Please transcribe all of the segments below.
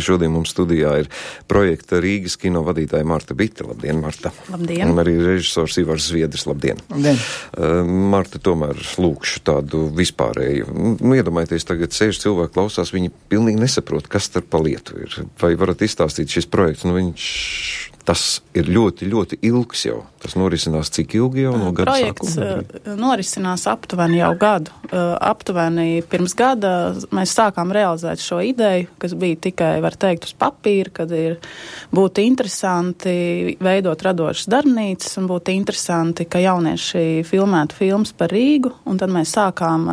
Šodien mums studijā ir projekta Rīgas kino vadītāja Marta Bite. Labdien, Marta. Labdien. Un arī režisors Ivars Zviedris. Labdien. Labdien. Marta, tomēr lūkšu tādu vispārēju. Iedomājieties, tagad sēž cilvēki klausās, viņi pilnīgi nesaprot, kas par pa lietu ir. Vai varat izstāstīt šis projekts? Tas ir ļoti, ļoti ilgs jau. Tas norisinās cik ilgi jau no gada projekts sākuma? Projekts norisinās aptuveni jau gadu. Aptuveni pirms gada mēs sākām realizēt šo ideju, kas bija tikai, var teikt, uz papīra, kad būtu interesanti veidot radošas darbnīcas un būtu interesanti, ka jaunieši filmētu filmas par Rīgu, un tad mēs sākām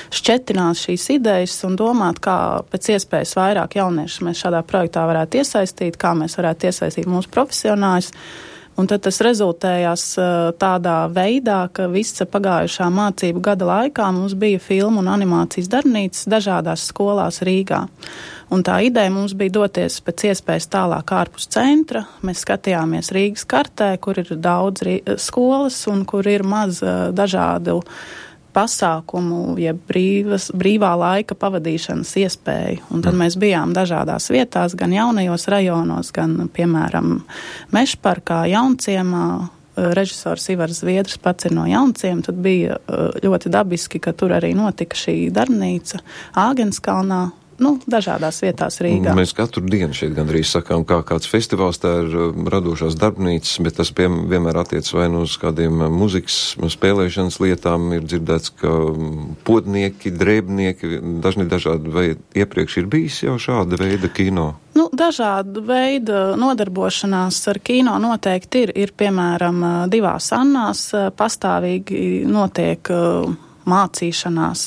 šķetināt šīs idejas un domāt, kā pēc iespējas vairāk jauniešus mēs šādā projektā varētu iesaistīt, kā mēs varētu iesaistīt mūsu profesionāļus. Un tad tas rezultējās tādā veidā, ka visa pagājušā mācību gada laikā mums bija filmu un animācijas darbnīcas dažādās skolās Rīgā. Un tā ideja mums bija doties pēc iespējas tālāk ārpus centra. Mēs skatījāmies Rīgas kartē, kur ir daudz skolas un kur ir maz dažādu pasākumu, ja brīvā laika pavadīšanas iespēju. Un tad mēs bijām dažādās vietās, gan jaunajos rajonos, gan, piemēram, Mežparkā, Jaunciemā. Režisors Ivars Zviedris pats ir no Jaunciem, tad bija ļoti dabiski, ka tur arī notika šī darbnīca Āgenskalnā. Dažādās vietās Rīgā. Mēs katru dienu šeit gandrīz sakām, kā kāds festivāls, tā ir radošās darbnīcas, bet tas vienmēr attiec vai nu uz kādiem muzikas spēlēšanas lietām. Ir dzirdēts, ka podnieki, drēbnieki, dažādi, vai iepriekš ir bijis jau šāda veida kino? Dažāda veida nodarbošanās ar kino noteikti ir piemēram, divās Annās pastāvīgi notiek mācīšanās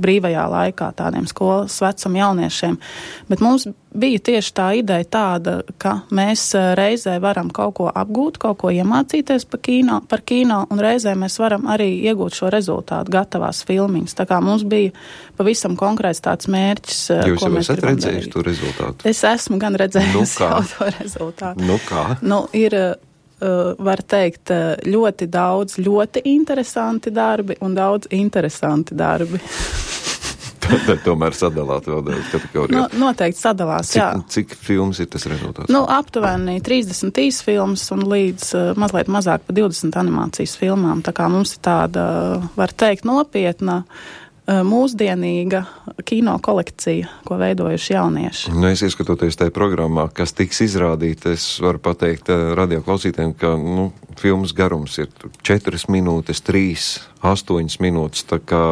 brīvajā laikā tādiem skolas vecuma jauniešiem. Bet mums bija tieši tā ideja tāda, ka mēs reizē varam kaut ko apgūt, kaut ko iemācīties par kino, un reizē mēs varam arī iegūt šo rezultātu gatavās filmiņas. Tā kā mums bija pavisam konkrēts tāds mērķis, Jūs ko mēs gribam darīt. Jūs esat redzējuši to rezultātu? Es esmu gan redzējusi jau to rezultātu. Kā? Ir var teikt, ļoti daudz ļoti interesanti darbi un daudz interesanti darbi. Tad tomēr sadalāt vēl daudz kategorijās. Noteikti sadalās, jā. Cik filmas ir tas rezultāts? Aptuveni 30 filmas un līdz mazliet mazāk pa 20 animācijas filmām. Tā kā mums ir tāda, var teikt, nopietna mūsdienīga kino kolekcija, ko veidojuši jaunieši. Es ieskatoties tajā programmā, kas tiks izrādīta, es varu pateikt radioklausītājiem, ka filmas garums ir 4 minūtes, 3, 8 minūtes, tā kā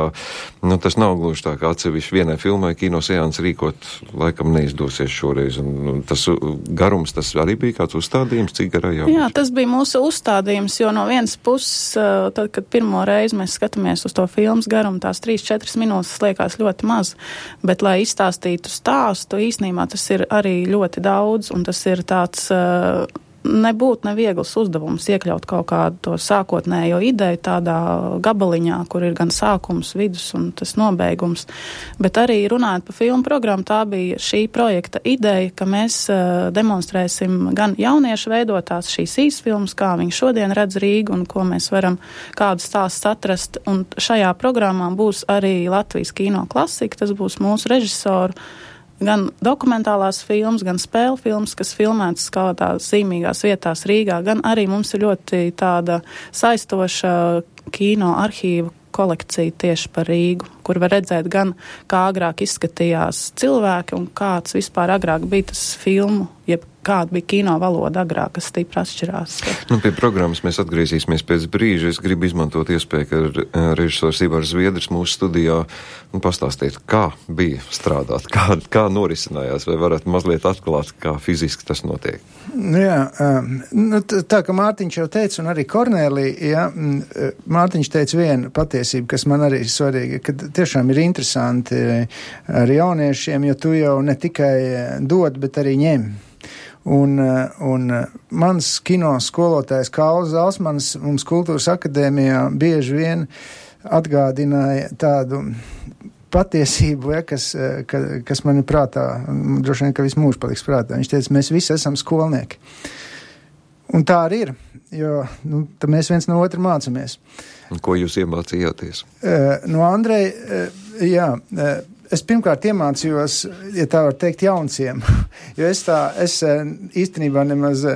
tas nav gluži tā, kā atsevišķi vienai filmai kino seansi rīkot, laikam neizdosies šoreiz. Un tas garums, tas arī bija kāds uzstādījums, cik garā jau? Jā, tas bija mūsu uzstādījums, jo no vienas puses, tad, kad pirmo reizi mēs skatāmies uz to filmas garumu, tās 3-4 minūtes liekas ļoti maz, bet, lai izstāstītu stāstu, īsnībā tas ir arī ļoti daudz, un tas ir tāds nebūtu neviegls uzdevums iekļaut kaut kādu to sākotnējo ideju tādā gabaliņā, kur ir gan sākums, vidus un tas nobeigums. Bet arī runājot par filmu programmu, tā bija šī projekta ideja, ka mēs demonstrēsim gan jauniešu veidotās šīs īsfilmas, kā viņi šodien redz Rīgu un ko mēs varam kādu stāstu atrast. Un šajā programmā būs arī Latvijas kino klasika, tas būs mūsu režisoru gan dokumentālās filmas, gan spēļu filmas, kas filmētas kādās zīmīgās vietās Rīgā, gan arī mums ir ļoti tāda saistoša kino arhīva kolekcija tieši par Rīgu, kur var redzēt gan, kā agrāk izskatījās cilvēki un kāds vispār agrāk bija tas filmu, jeb kāda bija kino valoda agrāk, kas stipri atšķirās. Pie programmas mēs atgriezīsimies pēc brīža. Es gribu izmantot iespēju, ka režisors Ivars Zviedris mūsu studijā pastāstīt, kā bija strādāt, kā norisinājās, vai varat mazliet atklāt, kā fiziski tas notiek. Jā, tā kā Mārtiņš jau teica, un arī Kornēlija, Mārtiņš teica vienu patiesību, kas man arī svarīga, ka tiešām ir interesanti ar jauniešiem, jo tu jau ne tikai dod, bet arī ņem. Un mans kino skolotājs Kauls Zalsmans mums Kultūras akadēmijā bieži vien atgādināja tādu patiesību, kas man ir prātā, droši vien, ka visu mūžu paliks prātā. Viņš teica, mēs visi esam skolnieki. Un tā arī ir, jo tad mēs viens no otra mācāmies. Un ko jūs iemācījāties? No Andreja, jā, es pirmkārt iemācījos, ja tā var teikt, jaunciem, jo es īstenībā nemaz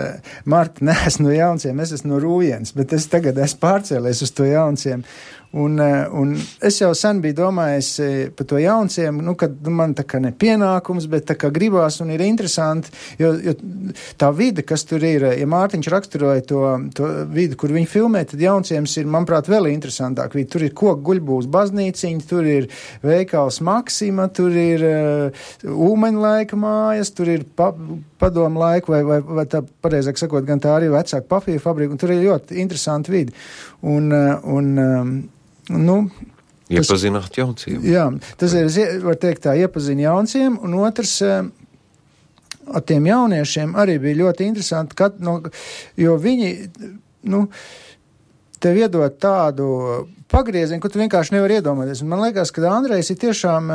Marta neesmu no jaunciem, es esmu no Rūjens, bet es tagad esmu pārcēlies uz to jaunciem. Un es jau sen biju domājis par to jaunciem, kad man tā kā ne pienākums, bet tā kā gribās un ir interesanti, jo tā vide, kas tur ir, ja Mārtiņš raksturoja to vidi, kur viņi filmē, tad jaunciems ir, manuprāt, vēl interesantāk vidi. Tur ir koku guļbūs baznīciņa, tur ir veikals Maksima, tur ir ūmeņlaika mājas, tur ir padomu laiku, vai tā pareizāk sakot, gan tā arī vecāka papīra fabrika, un tur ir ļoti interesanti vidi. Iepazināt jaunciem. Jā, tas ir, var teikt tā, iepazina jaunciem, un otrs, ar tiem jauniešiem arī bija ļoti interesanti, jo viņi, tev iedod tādu pagriezienu, ko tu vienkārši nevar iedomāties. Un man liekas, ka Andrejs ir tiešām,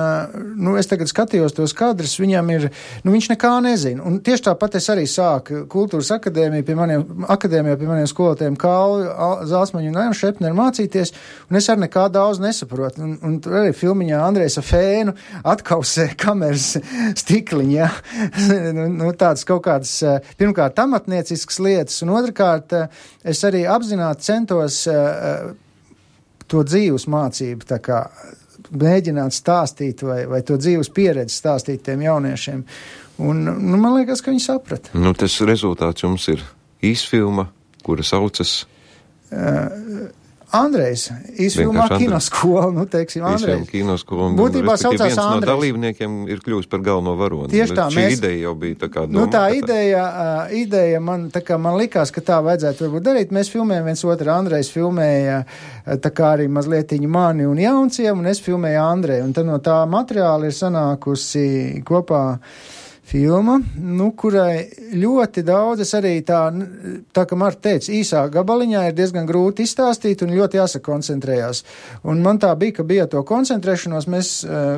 es tagad skatījos tos kadrus, viņam ir, viņš nekā nezina. Un tieši tāpat es arī sāku kultūras akadēmijā pie maniem skolotājiem Kālu, Zāsmaņu un Ainu Šepneru mācīties, un es arī nekā daudz nesaprotu. Un arī filmiņā Andrejs ar fēnu atkausē kameras stikliņu, ja? Tādas kaut kādas, pirmkārt, amatnieciskas lietas, un otrkārt, es arī apzināti centos to dzīves mācību, tā kā mēģināt stāstīt vai to dzīves pieredzi stāstīt tiem jauniešiem. Un, man liekas, ka viņi saprata. Tas rezultāts jums ir īsfilma, kura saucas... Andrejs, īsfilmā kinoskola, teiksim, Andrejs. Īsfilma kinoskola, būtībā saucās viens Andrejs. No dalībniekiem ir kļuvis par galveno varoni. Tieši tā, šī ideja jau bija tā kā doma. Tā ideja man likās, ka tā vajadzētu varbūt darīt. Mēs filmējam viens otru, Andrejs filmēja tā kā arī mazlietiņu mani un jaunciem, un es filmēju Andreju. Un tad no tā materiāla ir sanākusi kopā filma, kurai ļoti daudz, es arī tā kā Marta teica, īsā gabaliņā ir diezgan grūti izstāstīt un ļoti jāsakoncentrējās. Un man tā bija, ka bija to koncentrēšanos, mēs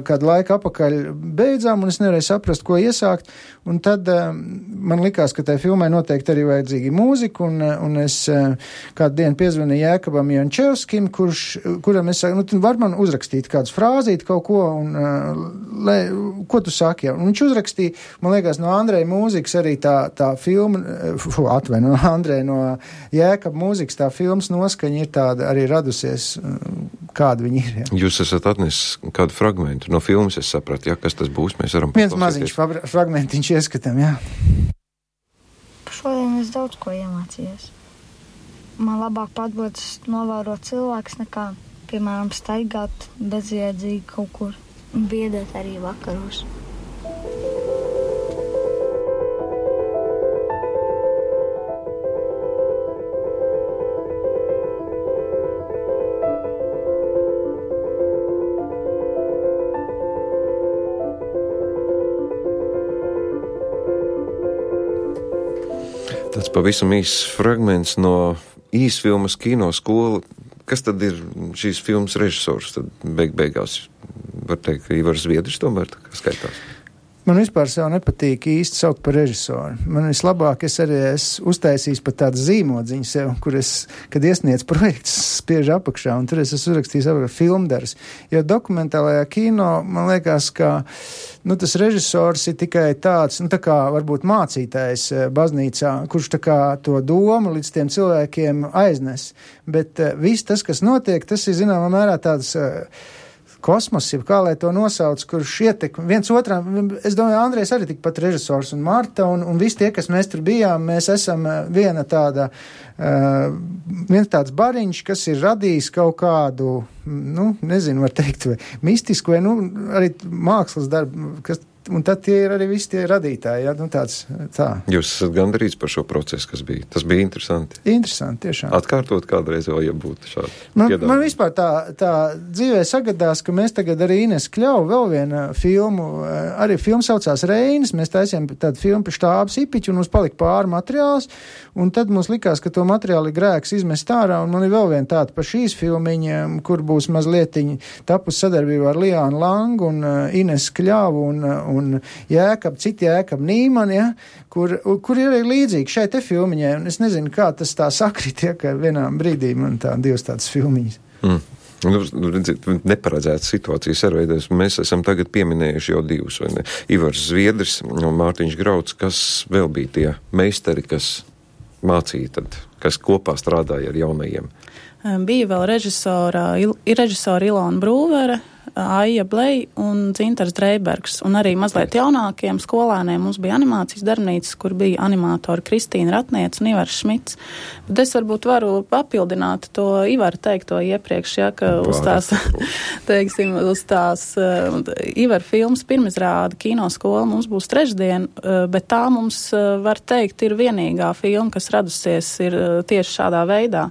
kādu laiku apakaļ beidzām, un es nevarēju saprast, ko iesākt, un tad man likās, ka tai filmai noteikti arī vajadzīgi mūzika, un es kādu dienu piezvanīju Jēkabam Jančevskim, kuram es saku, tu var man uzrakstīt kādus frāzīt kaut ko, un ko tu saki? Un viņš uzrakstīja, man liekas, no Andreja mūzikas arī tā filma, no Andreja no Jēkab mūzikas tā filmas noskaņa ir tāda arī radusies, kāda viņi ir. Ja. Jūs esat atnesis kādu fragmentu no filmas, es sapratu, kas tas būs, mēs varam paklausīties. Viens maziņš fragmentiņš ieskatām, jā. Šodien es daudz ko iemācījos. Man labāk padodas novērot cilvēkus nekā, piemēram, staigāt bezjēdzīgi kaut kur un biedēt arī vakaros. Tāds pavisam īsts fragments no īsfilmas kinoskola. Kas tad ir šīs filmas režisors? Tad beigās var teikt, ka Ivars Zviedris tomēr tā kā skaitās. Man vispār sev nepatīk īsti saukt par režisoru. Man vislabāk es arī esmu uztaisījis pat tādu zīmodziņu sev, kur es, kad iesniedz projekts, spiež apakšā, un tur es esmu uzrakstījis filmdars. Jo dokumentālajā kino, man liekas, ka tas režisors ir tikai tāds, tā kā varbūt mācītājs baznīcā, kurš tā kā to domu līdz tiem cilvēkiem aiznes. Bet viss tas, kas notiek, tas ir zināmā mērā tāds kosmos, kā lai to nosauc, kurš ietekmi viens otram. Es domāju, Andrejs arī tikpat režisors un Marta, un visi tie, kas mēs tur bijām, mēs esam viens tāds bariņš, kas ir radījis kaut kādu, nezinu, var teikt, vai mistisku, vai arī mākslas darbu, un tad tie ir arī visi tie radītāji, ja, tā. Jūs esat gandarīts par šo procesu, kas bija. Tas bija interesanti. Interesanti, tiešām. Atkārtot kādreiz vēl, ja būtu šādi. Man vispār tā dzīvē sagadās, ka mēs tagad arī Ines Kļauj vēl vienu filmu, arī filmu saucās Reinis, mēs taisījām tādu filmu par štābu Sipiķu, un mums palika pāri materiāls, un tad mums likās, ka to materiāli grēks izmest ārā, un man ir vēl viena tāda par šīs filmiņa, kur būs mazlietiņi tapus sadarbībā ar Liānu Langu un Ines Kļauju un citi Jēkab Nīmani, ja, kur ir arī līdzīgi šai te filmiņai, un es nezinu, kā tas tā sakrit, ja, ka vienā brīdī man divas tādas filmiņas. Neparedzētas situācijas arveidojas. Mēs esam tagad pieminējuši jau divus, vai ne? Ivars Zviedris un Mārtiņš Grauds, kas vēl bija tie meistari, kas mācīja tad, kas kopā strādāja ar jaunajiem? Bija vēl režisora Ilona Brūvere, Aija Blei un Dzintars Dreibergs. Un arī mazliet jaunākiem skolēniem mums bija animācijas darbnīcas, kur bija animatori Kristīna Ratniece un Ivars Šmits. Bet es varbūt varu papildināt to Ivaru teikto iepriekš, ja, ka uz tās, teiksim, uz tās Ivaru filmas pirmizrāda kinoskola mums būs trešdien, bet tā mums, var teikt, ir vienīgā filma, kas radusies ir tieši šādā veidā.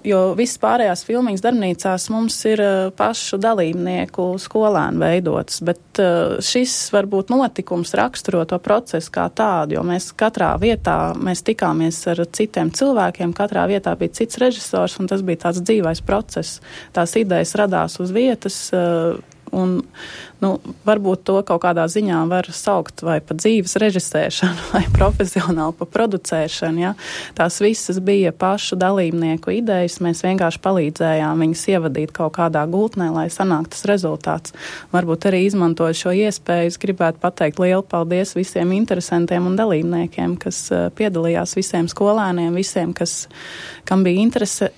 Jo visas pārējās filmiņas darbnīcās mums ir pašu dalībnieku skolēnu veidotas, bet šis varbūt notikums raksturo to procesu kā tādu, jo mēs katrā vietā, mēs tikāmies ar citiem cilvēkiem, katrā vietā bija cits režisors, un tas bija tāds dzīvais process. Tās idejas radās uz vietas, un varbūt to kaut kādā ziņā var saukt vai pa dzīves režisēšanu, vai profesionāli pa producēšanu. Ja? Tās visas bija pašu dalībnieku idejas, mēs vienkārši palīdzējām viņus ievadīt kaut kādā gultnē, lai sanāk tas rezultāts. Varbūt arī izmantoju šo iespēju, es gribētu pateikt lielu paldies visiem interesantiem un dalībniekiem, kas piedalījās, visiem skolēniem, visiem, kam bija interese,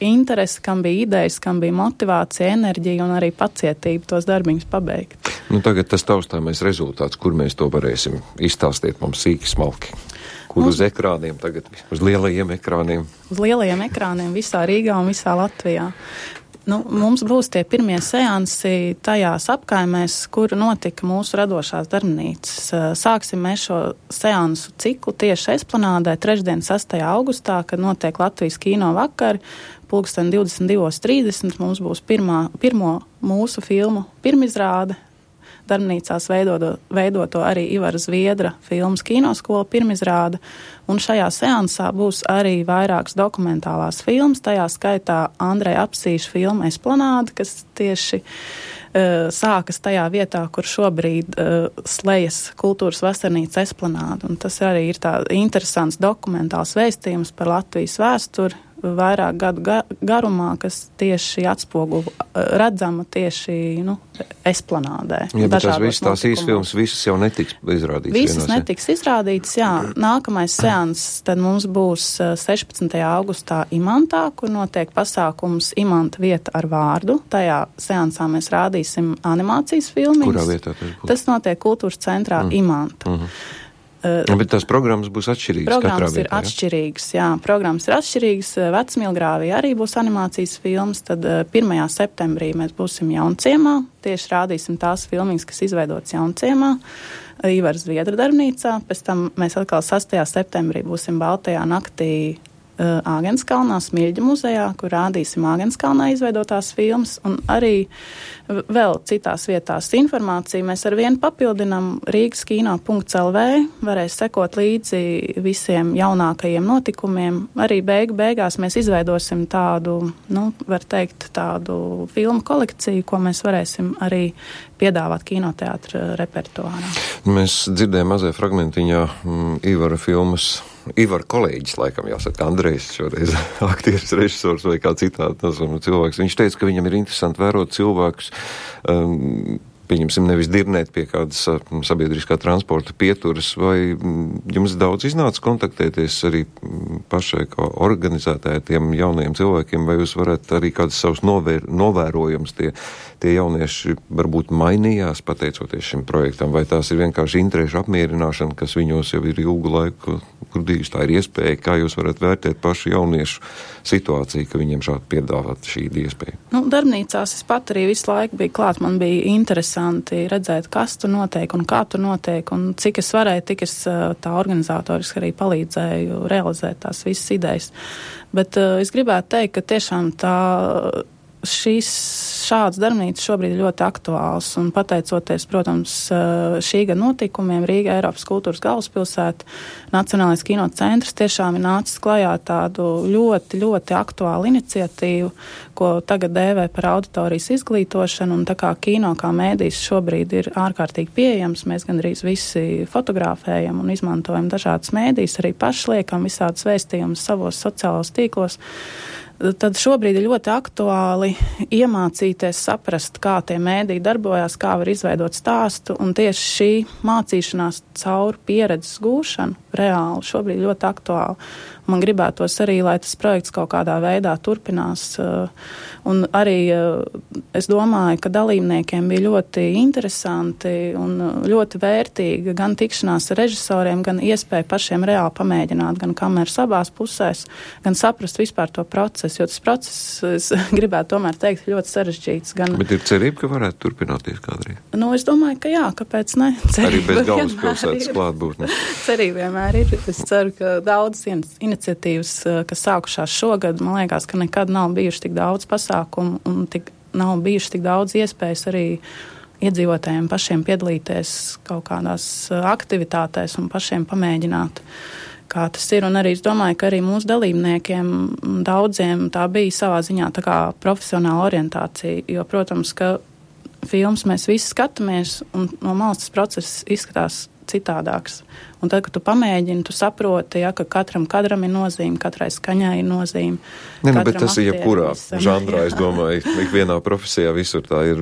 kam bija idejas, kam bija motivācija, enerģija un arī pacietība tos darbiņus pabeigt. Tagad tas taustāmais rezultāts, kur mēs to varēsim izstāstīt mums sīki smalki. Kur uz ekrāniem tagad, uz lielajiem ekrāniem? Uz lielajiem ekrāniem visā Rīgā un visā Latvijā. Mums būs tie pirmie seansi tajās apkaimēs, kur notika mūsu radošās darbnīcas. Sāksim mēs šo seansu ciklu tieši Esplanādē, trešdien 6. augustā, kad notiek Latvijas kino vakari. 22:30 mums būs pirmo mūsu filmu pirmizrāde. Darbnīcās veidoto arī Ivara Zviedra filmas kinoskola pirmizrāda, un šajā seansā būs arī vairākas dokumentālās filmas, tajā skaitā Andreja Apsīša filma Esplanāde, kas tieši sākas tajā vietā, kur šobrīd slejas kultūras vasarnīca Esplanāde, un tas arī ir tā interesants dokumentāls vēstījums par Latvijas vēsturi, vairāk gadu garumā, kas tieši atspoguļo redzama tieši Esplanādē. Jā, bet tās īsfilmas visas jau netiks izrādītas. Visas netiks izrādītas, jā. Nākamais seans tad mums būs 16. augustā Imantā, kur notiek pasākums Imanta vieta ar vārdu. Tajā seansā mēs rādīsim animācijas filmiņas. Kurā vietā tas būs? Tas notiek kultūras centrā Imanta. Bet tās programmas būs atšķirīgas katrā vietā, ir atšķirīgas, jā. Programmas ir atšķirīgas. Vecmilgrāvī arī būs animācijas filmas, tad 1. septembrī mēs būsim Jaunciemā. Tieši rādīsim tās filmiņas, kas izveidotas Jaunciemā, Ivara Zviedra darbnīcā. Pēc tam mēs atkal 6. septembrī būsim Baltajā naktī Āgenskalnā, Smilģa muzejā, kur rādīsim Āgenskalnā izveidotās filmas, un arī vēl citās vietās informāciju mēs ar vienu papildinām rīgaskino.lv, varēs sekot līdzi visiem jaunākajiem notikumiem. Arī beigās mēs izveidosim tādu, var teikt, tādu filmu kolekciju, ko mēs varēsim arī piedāvāt kinoteātra repertuārā. Mēs dzirdējām mazajā fragmentiņā Ivara filmas. Ivara kolēģis, laikam jāsaka, Andrejs šoreiz, aktieris, režisors vai kā citādi cilvēks. Viņš teica, ka viņam ir interesanti vērot cilvēkus, pieņemsim, nevis dirnēt pie kādas sabiedriskā transporta pieturas, vai jums daudz iznāca kontaktēties arī pašai kā organizētāji tiem jaunajiem cilvēkiem, vai jūs varat arī kādas savus novērojums tie jaunieši varbūt mainījās pateicoties šim projektam, vai tās ir vienkārši interešu apmierināšana, kas viņos jau ir ilgu laiku grudījusi, tā ir iespēja, kā jūs varat vērtēt pašu jauniešu situāciju, ka viņiem šādi piedāvāt šī iespēja? Darbnīcās es pat arī visu laiku biju klāt, man bija interesanti redzēt, kas tur notiek un kā tur notiek, un cik es varēju, tik es tā organizatoriski arī palīdzēju realizēt tās visas idejas. Bet es gribētu teikt, ka tiešām šāds darbnīcas šobrīd ir ļoti aktuāls, un pateicoties, protams, šī gada notikumiem, Rīga Eiropas kultūras galvaspilsēta, Nacionālais kino centrs tiešām ir nācis klajā tādu ļoti, ļoti aktuālu iniciatīvu, ko tagad dēvē par auditorijas izglītošanu, un tā kā kino kā mēdījis šobrīd ir ārkārtīgi pieejams, mēs gandrīz visi fotografējam un izmantojam dažādas mēdījus, arī paši liekam visādas vēstījumus savos sociālos tīklos. tad šobrīd ir ļoti aktuāli iemācīties saprast, kā tie mēdī darbojās, kā var izveidot stāstu, un tieši šī mācīšanās caur pieredzes gūšanu reāli šobrīd ļoti aktuāli. Man gribētos arī, lai tas projekts kaut kādā veidā turpinās, un arī es domāju, ka dalībniekiem bija ļoti interesanti un ļoti vērtīgi gan tikšanās ar režisoriem, gan iespēja pašiem reāli pamēģināt gan kameras abās pusēs, gan saprast vispār to procesu, jo tas process, es gribētu tomēr teikt, ļoti sarežģīts. Bet ir cerība, ka varētu turpināties kādreiz? Es domāju, ka jā, kāpēc ne? Arī bez galvaspilsētas klātbūtnes. Cerība vienmēr ir. Es ceru, ka daudzas iniciatīvas, kas sākušās šogad, man liekas, ka nekad nav bijuši tik daudz pasākumu un nav bijuši tik daudz iespējas arī iedzīvotājiem pašiem piedalīties kaut kādās aktivitātēs un pašiem pamēģināt, kā tas ir. Un arī es domāju, ka arī mūsu dalībniekiem daudziem tā bija savā ziņā tā kā profesionāla orientācija, jo, protams, ka filmas mēs visi skatāmies un no malas tas process izskatās citādāks. Un tad, kad tu pamēģini, tu saproti, ja, ka katram kadram ir nozīme, katrai skaņai ir nozīme. Bet tas ir jebkurā žanrā, es domāju, ikvienā profesijā visur tā ir.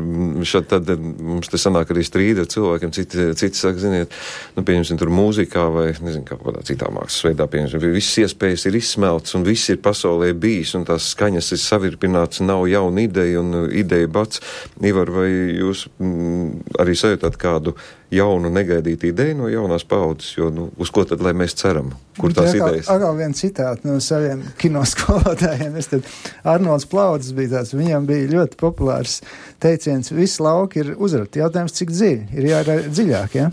Tad mums te sanāk arī strīdi ar cilvēkiem, citi saka, ziniet, pieņemsim tur mūzikā vai, nezinu, kā kādā citā mākslas veidā, pieņemsim, visas iespējas ir izsmelts un viss ir pasaulē bijis un tās skaņas ir savirpināts, nav jauna ideja un ideja bats. Ivar, vai jūs arī sajūtāt kādu jaunu negaidītu ideju no jaunās paudzes, jo, uz ko tad, lai mēs ceram? Kur tās idejas? Atkal viens citāts no saviem kinoskolotājiem. Arnolds Plaudzis bija tāds, viņam bija ļoti populārs teiciens, visi lauki ir uzrati. Jautājums, cik dziļi? Ir jārā dziļāk, ja?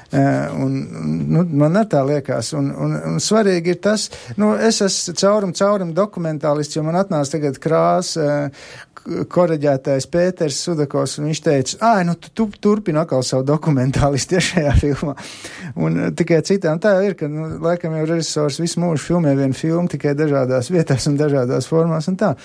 Man ar tā liekas. Un svarīgi ir tas, es esmu caurum dokumentālists, jo man atnāca tagad koreģētais Pēters Sudakovs, un viņš teica, tu turpini atkal savu dokumentālistu tiešajā filmā. Un tikai citām tā ir, ka, laikam jau režisors visu mūžu filmē vienu filmu, tikai dažādās vietās un dažādās formās un tā.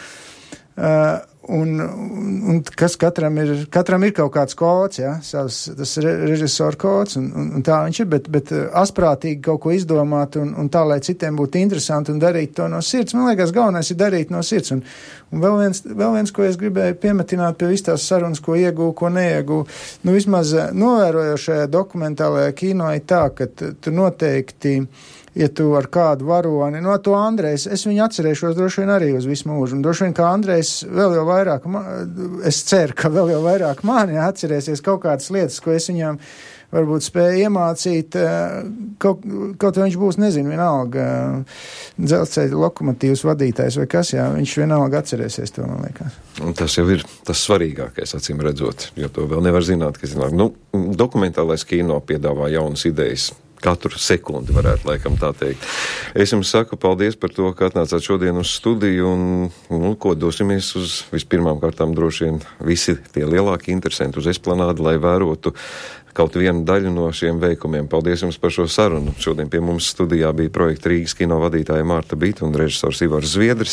Un kas katram ir kaut kāds kods, ja, tas režisora kods, un tā viņš ir, bet asprātīgi kaut ko izdomāt, un tā, lai citiem būtu interesanti un darīt to no sirds. Man liekas, galvenais ir darīt no sirds. Un vēl viens, ko es gribēju piemetināt pie visas tās sarunas, ko iegūju, ko neiegūju, vismaz novērojošajā dokumentālajā kino ir tā, ka tu noteikti, ja tu ar kādu varoni, to Andrejs, es viņu atcerēšos droši vien arī uz visu mūžu, un droši vien, ka Andrejs vēl jau vairāk, es ceru, ka vēl jau vairāk mani atcerēsies kaut kādas lietas, ko es viņām varbūt spēju iemācīt, kaut vai viņš būs, nezinu, vienalga dzelzceļa lokomotīvas vadītājs vai kas, jā, viņš vienalga atcerēsies to, man liekas. Un tas jau ir tas svarīgākais, acīm redzot, jo to vēl nevar zināt, ka, dokumentālais kino piedāvā jaunas idejas. Katru sekundi varētu laikam tā teikt. Es jums saku paldies par to, ka atnācāt šodien uz studiju un ko dosimies uz vispirmām kārtām droši vien visi tie lielāki interesanti uz Esplanādu, lai vērotu kaut vienu daļu no šiem veikumiem. Paldies jums par šo sarunu. Šodien pie mums studijā bija projekta Rīgas kino vadītāja Mārta Bīta un režisors Ivars Zviedris.